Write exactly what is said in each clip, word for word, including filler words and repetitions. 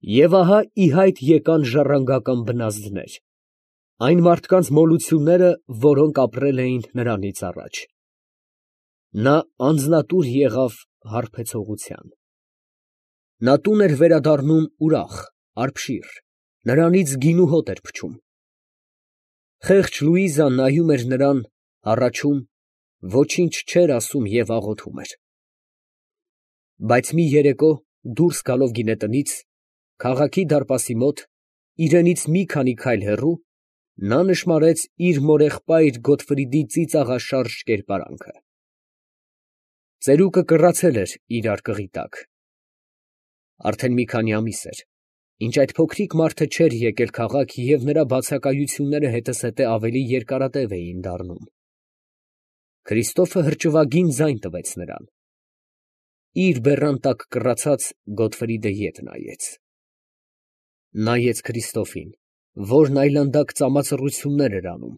Եվ ահա ի հայտ եկան ժառանգական բնազդներ, այն մարդկանց մոլությունները, որոնք ապրել էին նրանից առաջ. նա անձնատուր եղավ հարբեցողության. նա տուն էր վերադառնում ուրախ, արբշիր, նրանից գին ու հոտ էր փչում. խեղճ Լուիզան նայում էր նրան, հառաչում, ոչինչ չէր ասում և աղոթում էր։ Բայց մի երեկո, դուրս գալով գինետնից, քաղաքի դարպասի մոտ, իրենից մի քանի քայլ հեռու, նա նշմարեց իր մորեղբայր Գոտֆրիդի ծիծաղաշարժ կերպարանքը։ Ծերուկը կռացել էր իր արկղի տակ։ Արդեն մի քանի ամիս էր, ինչ այդ փոքրիկ մարդը չէր եկել քաղաք և նրա բացակայությունները հետզհետե ավելի երկարատև էին դառնում։ Քրիստոֆը հրճվագին ձայն տվեց նրան։ Իր բեռան տակ կռացած Գոտֆրիդը ետ նայեց։ Նայեց Քրիստոֆին, որն այլանդակ ծամածռություններ էր անում,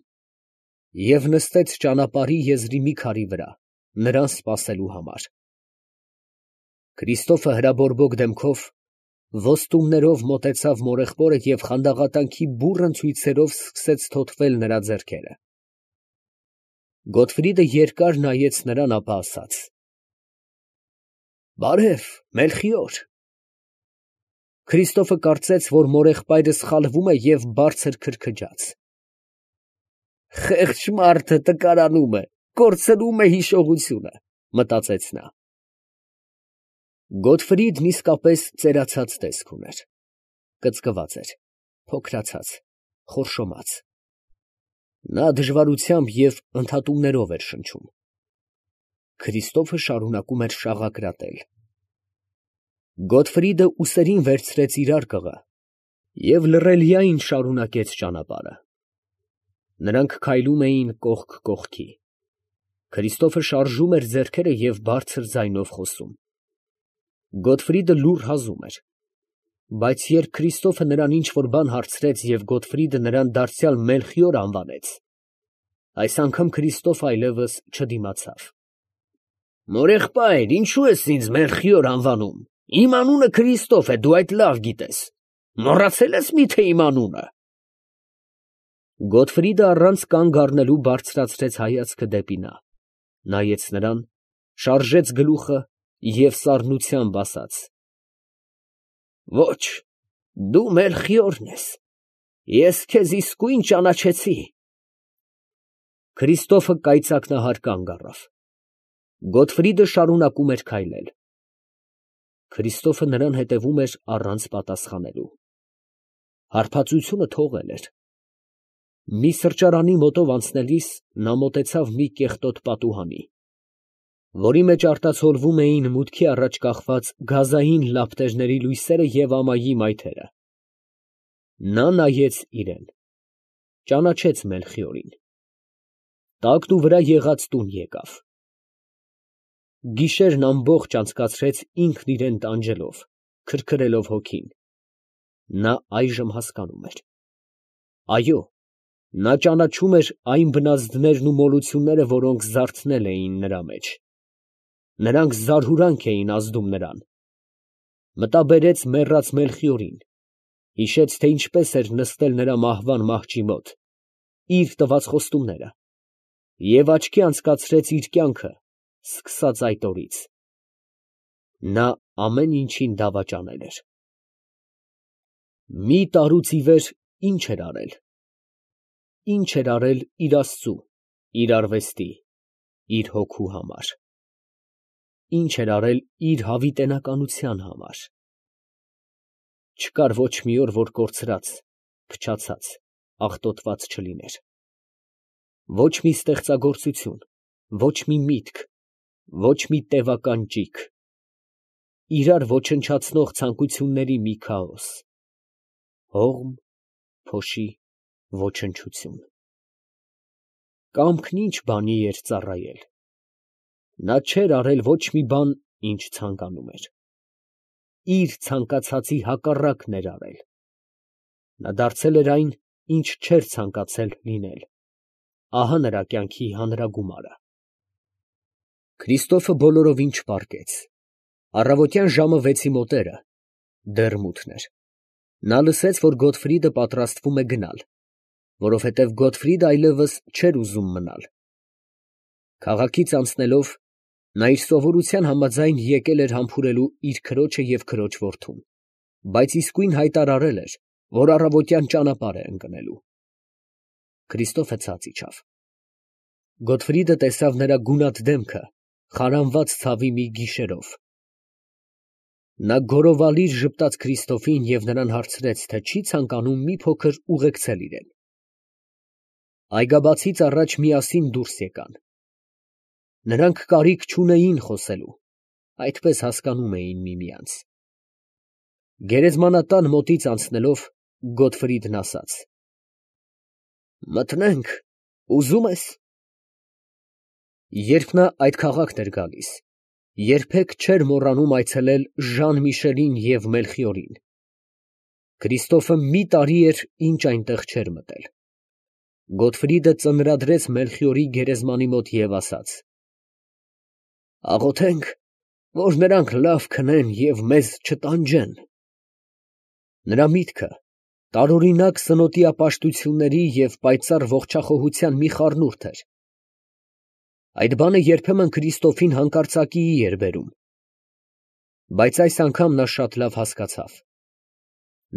և նստեց ճանապարհի եզրի մի քարի վրա, նրան սպասելու համար։ Քրիստոֆը հրաբորբոք դեմքով, ոստումներով մոտեցավ մորեղբորը և խանդաղատանքի բուռն ցույցերով սկսեց թոթվել նրա ձեռքերը։ Գոտֆրիդը երկար նայեց նրան, ապա ասաց. «Բարև, Մելխիոր»։ Քրիստոֆը կարծեց, որ մորեղբայրը սխալվում է և բարձր քրքջաց։ «Խեղճ մարդը տկարանում է, կորցնում է հիշողությունը», մտածեց նա։ Գոտֆրիդն իսկապես ծերացած տեսք ուներ. կծկված էր, փոքրացած, խորշոմած։ Նա դժվարությամբ և ընդհատումներով էր շնչում։ Քրիստոֆը շարունակում էր շաղակրատել։ Գոտֆրիդը ուսերին վերցրեց իր արկղը և լռելիայն շարունակեց ճանապարհը։ Նրանք քայլում էին կողք կողքի։ Քրիստոֆը շարժում էր ձեռքերը և բարձր ձայնով խոսում։ Գոտֆրիդը լուռ հազում էր։ Բայց երբ Քրիստոֆը նրան ինչ֊որ բան հարցրեց և Գոտֆրիդը նրան դարձյալ Մելխիոր անվանեց, այս անգամ Քրիստոֆը այլևս չդիմացավ։ «Մորեղբայր, ինչո՞ւ ես ինձ Մելխիոր անվանում, իմ անունը Քրիստոֆ է, դու այդ լավ գիտես, մոռացե՞լ ես մի՞թե իմ անունը»։ Գոտֆրիդը առանց կանգ առնելու բարձրացրեց հայացքը դեպի նա, նայեց նրան, շարժեց գլուխը և սառնությամբ ասաց. «Ոչ, դու Մելխիորն ես, ես քեզ իսկույն ճանաչեցի»։ Քրիստոֆը կայծակնահար կանգ առավ։ Գոտֆրիդը շարունակում էր քայլել։ Քրիստոֆը նրան հետևում էր առանց պատասխանելու։ Հարբածությունը թողել էր։ Մի սրճարանի մոտով անցնելիս նա մոտեցավ մի կեղտոտ պատուհանի, որի մեջ արտացոլվում էին մուտքի առաջ կախված գազային լապտերների լույսերը և ամայի մայթերը։ Նա նայեց իրան, ճանաչեց Մելխիորին։ Տակնուվրա եղած տուն եկավ։ Գիշերն ամբողջ անցկացրեց ինքն իրան տանջելով, քրքրելով հոգին։ Նա այժմ հասկանում էր. այո, նա ճանաչում էր այն բնազդներն ու մոլությունները, որոնք զարթնել էին նրա մեջ։ Նրանք զարհուրանք էին ազդում նրան։ Մտաբերեց մեռած Մելխիորին, հիշեց, թե ինչպես էր նստել նրա մահվան մահճի մոտ, իր տված խոստումները, և աչքի անցկացրեց իր կյանքը, սկսած այդ օրից։ Նա ամեն ինչին դավաճանել էր։ Մի տարուց ի վեր ի՞նչ էր արել։ Ի՞նչ էր արել իր աստծու, իր արվեստի, իր հոգու համար։ Ի՞նչ էր արել իր հավիտենականության համար։ Չկար ոչ մի օր, որ կորցրած, փչացած, աղտոտված չլիներ։ Ոչ մի ստեղծագործություն, ոչ մի միտք, ոչ մի տևական ճիգ։ Իրար ոչնչացնող ցանկությունների մի քաոս։ Հողմ, փոշի, ոչնչություն։ Կամքն ի՞նչ բանի էր ծառայել։ Նա չէր արել ոչ մի բան, ինչ ցանկանում էր։ Իր ցանկացածի հակառակն էր արել։ Նա դարձել էր այն, ինչ չէր ցանկացել լինել։ Ահա նրա կյանքի հանրագումարը։ Քրիստոֆը բոլորովին չպառկեց։ Առավոտյան ժամը վեցի մոտերը դեռ մութն էր։ Նա լսեց, որ Գոթֆրիդը պատրաստվում է գնալ, որովհետև Գոթֆրիդը այլևս չէր ուզում մնալ։ Քաղաքից անցնելով, նա իր սովորության համաձայն եկել էր համբուրելու իր քրոջը և քրոջ որդուն, բայց իսկույն հայտարարել էր, որ առավոտյան ճանապարհ է ընկնելու։ Քրիստոֆը ցած իջավ։ Գոթֆրիդը տեսավ նրա գունատ դեմքը, խարանված ցավի մի գիշերով։ Նա գոռովալիր ժպտաց Քրիստոֆին և նրան հարցրեց, թե չի ցանկանում մի փոքր ուղեկցել իրեն։ Այգաբացից առաջ միասին դուրս եկան։ Նրանք կարիք չունեին խոսելու, այդպես հասկանում էին միմյանց։ Գերեզմանատան մոտից անցնելով, Գոթֆրիդն ասաց. «Մտնենք, ուզում ես»։ Երբ նա այդ քաղաքն էր գալիս, երբեք չէր մոռանում այցելել Ժան Միշելին և Մելխիորին։ Քրիստոֆը մի տարի էր, ինչ այնտեղ չէր մտել։ Գոթֆրիդը ծնրադրեց Մելխիորի գերեզմանի մոտ և ասաց. «Աղոթենք, որ նրանք լավ քնեն և մեզ չտանջեն»։ Նրա միտքը տարօրինակ սնոտիապաշտությունների և պայծառ ողջախոհության մի խառնուրդ էր։ Այդ բանը երբեմն Քրիստոֆին հանկարծակիի էր բերում, բայց այս անգամ նա շատ լավ հասկացավ։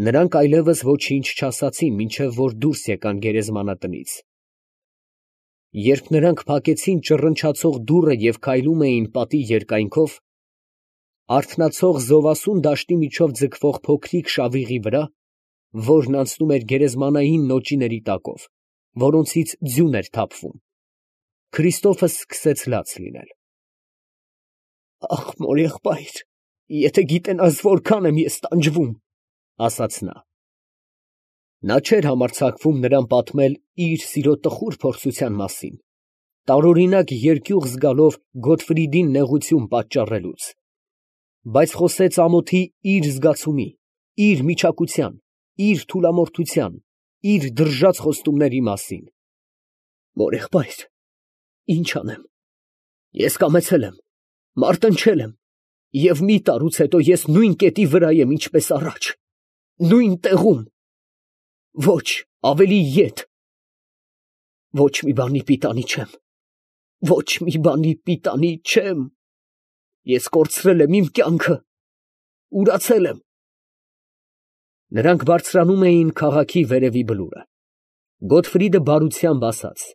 Նրանք այլևս ոչինչ չասացին, մինչև որ դուրս եկան գերեզմանատնից։ Երբ նրանք փակեցին ճռնչացող դուռը և քայլում էին պատի երկայնքով, արթնացող զովասուն դաշտի միջով ձգվող փոքրիկ շավիղի վրա, որն անցնում էր գերեզմանային նոճիների տակով, որոնցից ձյուն էր թափվում, Քրիստոֆը սկսեց լաց լինել։ «Ախ, մորեղբայր, եթե գիտենաս որքան եմ ես տանջվում», ֊ ասաց նա։ Նա չէր համարձակվում նրան պատմել իր սիրո տխուր փորձության մասին, տարօրինակ երկյուղ զգալով Գոթֆրիդին նեղություն պատճառելուց, բայց խոսեց ամոթի իր զգացումի, իր միչակության, իր թուլամորթության, իր դրժած խոստումների մասին։ «Մորեղբայր, ի՞նչ անեմ, ես կամեցել եմ, մարտնչել եմ, և մի տարուց հետո ես նույն կետի վրա եմ, ինչպես առաջ, նույն տեղում, ոչ, ավելի ետ։ Ոչ մի բանի պիտանի չեմ, ոչ մի բանի պիտանի չեմ։ Ես կորցրել եմ իմ կյանքը, ուրացել եմ»։ Նրանք բարձրանում էին քաղաքի վերևի բլուրը։ Գոթֆրիդը բարությամբ ասաց.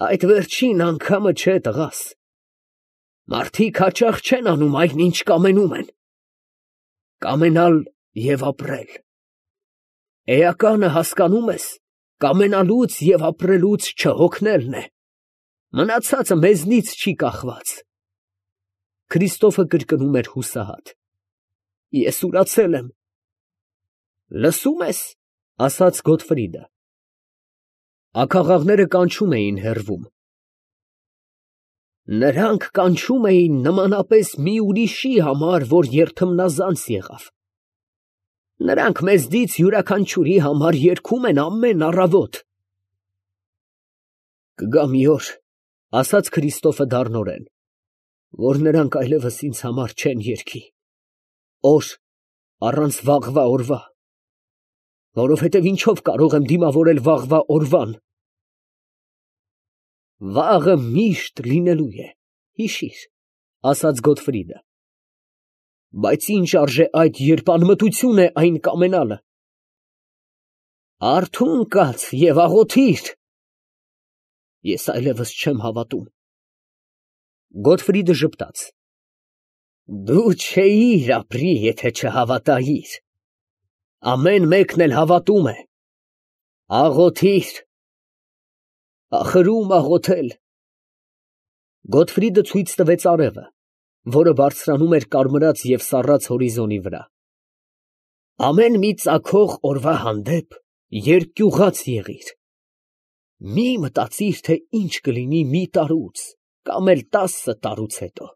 «Այդ վերջին անգամը չէ, տղաս, մարդիկ հաճախ չեն անում այն, ինչ կամենում են. կամենալ և ապրել։ Էականը, հասկանում ես, կամենալուց և ապրելուց չհոգնելն է, մնացածը մեզնից չի կախված»։ Քրիստոֆը կրկնում էր հուսահատ. «Ես ուրացել եմ»։ «Լսո՞ւմ ես», ֊ ասաց Գոթֆրիդը։ Աքաղաղները կանչում էին հեռվում։ «Նրանք կանչում էին նմանապես մի ուրիշի համար, որ երդմնազանց եղավ։ Նրանք մեզնից յուրաքանչյուրի համար երգում են ամեն առավոտ»։ «Կգա մի օր, ֊ ասաց Քրիստոֆը դառնորեն, ֊ որ նրանք այլևս ինձ համար չեն երգի, օր առանց վաղվա օրվա, որովհետև ինչո՞վ կարող եմ դիմավորել վաղվա օրվան։ Վաղը միշտ լինելու է, հիշի՛ր», ֊ ասաց Գոթֆրիդը, ֊ բայց ինչ արժե այդ, երբ անմտություն է այն կամենալը։ Արթուն կաց և աղոթի՛ր։ Ես այլևս չեմ հավատում։ Գոթֆրիդը ժպտաց. «Դու չէիր ապրի, եթե չհավատայիր։ Ամեն մեկն էլ հավատում է։ Աղոթի՛ր, ախր ո՞ւմ աղոթել»։ Գոթֆրիդը ցույց տվեց արևը, որը բարձրանում էր կարմրած և սառած հորիզոնի վրա։ «Ամեն մի ծագող օրվա հանդեպ երկյուղած եղիր։ Մի մտածիր, թե ինչ կլինի մի տարուց կամ էլ տասը տարուց հետո,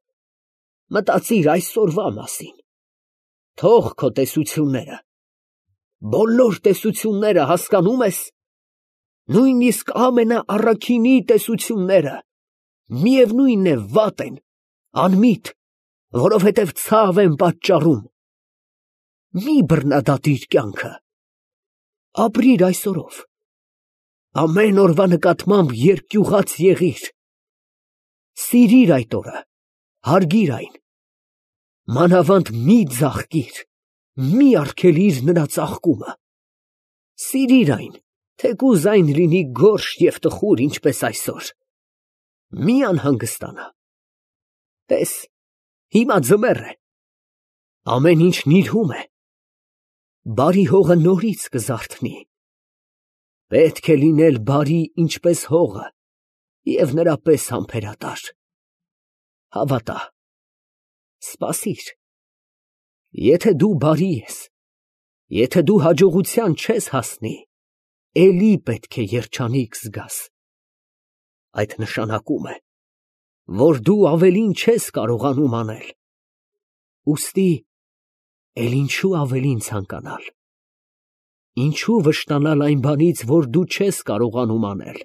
մտածիր այսօրվա մասին։ Թող քո տեսությունները, բոլոր տեսությունները, հասկանում ես, նույնիսկ ամենաառաքինի տեսությունները, միևնույն է, վատ են, անմիտ, որովհետև ցավ են պատճառում։ մի բռնադատիր կյանքը, ապրիր այսօրով, ամեն օրվա նկատմամբ երկյուղած եղիր, սիրիր այդ օրը, հարգիր այն, մանավանդ մի ձաղկիր, մի արգելիր նրա ծաղկումը, սիրիր այն, թեկուզ այն լինի գորշ և տխուր, ինչպես այսօր, մի անհանգստանա, տես, հիմա ձմեռ է, ամեն ինչ նիրհում է, բարի հողը նորից կզարթնի, պետք է լինել բարի ինչպես հողը և նրա պես համբերատար, հավատա, սպասիր, եթե դու բարի ես, եթե դու հաջողության չես հասնի, էլի պետք է երջանիկ զգաս, այդ նշանակում է, որ դու ավելին չես կարողանում անել, ուստի էլ ինչու ավելին ցանկանալ, ինչու վշտանալ այն բանից, որ դու չես կարողանում անել,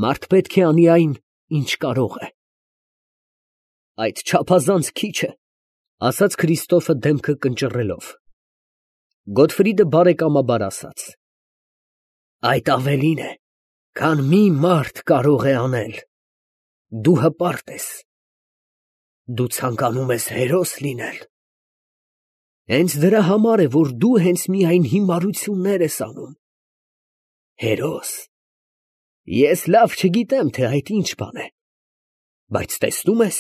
մարդ պետք է անի այն, ինչ կարող է, այդ չափազանց քիչ է, ասաց Քրիստոֆը դեմքը կնճռելով, Գոթֆրիդը բարեկամաբար ասաց. Այդ ավելին է, քան մի մարդ կարող է անել, դու հպարտ ես, դու ցանկանում ես հերոս լինել, հենց դրա համար է, որ դու հենց միայն հիմարություններ ես անում, հերոս, ես լավ չգիտեմ, թե այդ ինչ բան է, բայց տեսնում ես,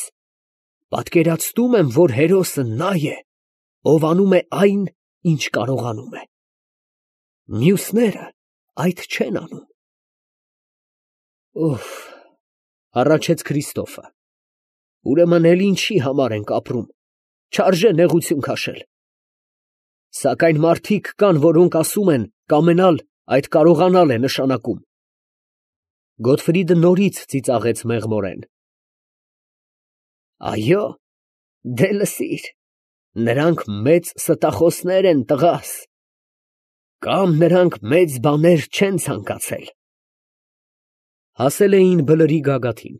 պատկերացնում եմ, որ հերոսը նա է, ով անում է այն, ինչ կարողանում է, մյուսները այդ չեն անում, օհ, հառաչեց Քրիստոֆը, ուրեմն էլ ինչի համար ենք ապրում, չարժե նեղություն քաշել, սակայն մարդիկ կան, որոնք ասում են, կամենալ այդ կարողանալ է նշանակում, Գոթֆրիդը նորից ծիծաղեց մեղմորեն, այո, դե լսիր, նրանք մեծ ստախոսներ են տղաս, կամ նրանք մեծ բաներ չեն ցանկացել, հասել էին բլրի գագաթին,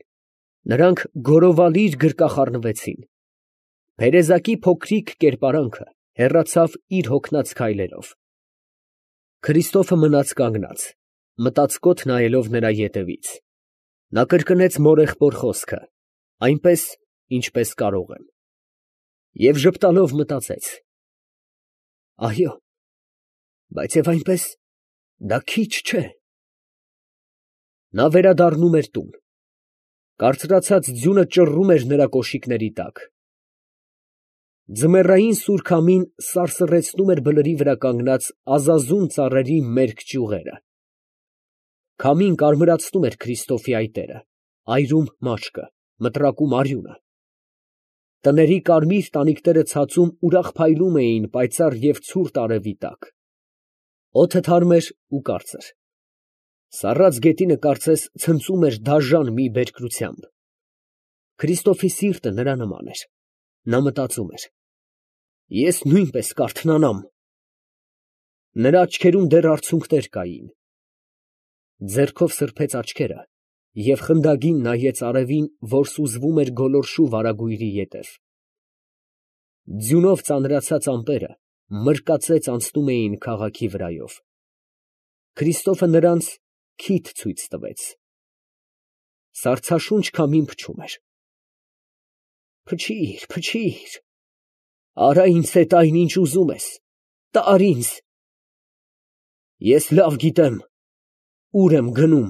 նրանք գորովալիր գրկախառնվեցին, Փերեզակի փոքրիկ կերպարանքը հեռացավ իր հոգնած քայլերով, Քրիստոֆը մնաց կանգնած, մտածկոտ նայելով նրա ետևից, նա կրկնեց մորեղբոր խոսքը, այնպես, ինչպես կարող եմ, և ժպտալով մտածեց. այո, բայց և այնպես, դա քիչ չէ, նա վերադառնում էր տուն, կարծրացած ձյունը ճռռում էր նրա կոշիկների տակ, ձմեռային սուր քամին սարսռեցնում էր բլրի վրա կանգնած ազազուն ծառերի մերկ ճյուղերը, քամին կարմրացնում էր Քրիստոֆի այտերը, այրում մաչկը, մտրակում արյունը, տների կարմիր տանիքները ցածում ուրախ փայլում էին պայծառ և ցուրտ արևի տակ, օդը թարմ էր ու կարծր, սառած գետինը կարծես ցնծում էր դաժան մի բերկրությամբ, Քրիստոֆի սիրտը նրա նման էր, նա մտածում էր. ես նույնպես կարթնանամ, նրա աչքերում դեռ արցունքներ կային, ձեռքով սրբեց աչքերը և խնդագին նայեց արևին, որ սուզվում էր գոլորշու վարագույրի ետև, ձյունով ծանրացած ամպերը մրկածեց անցնում էին քաղաքի վրայով, Քրիստոֆը նրանց քիթ ցույց տվեց, սառցաշունչ քամին փչում էր, փչիր, փչիր, արա ինձ հետ այն, ինչ ուզում ես, տար ինձ, ես լավ գիտեմ, ուր եմ գնում,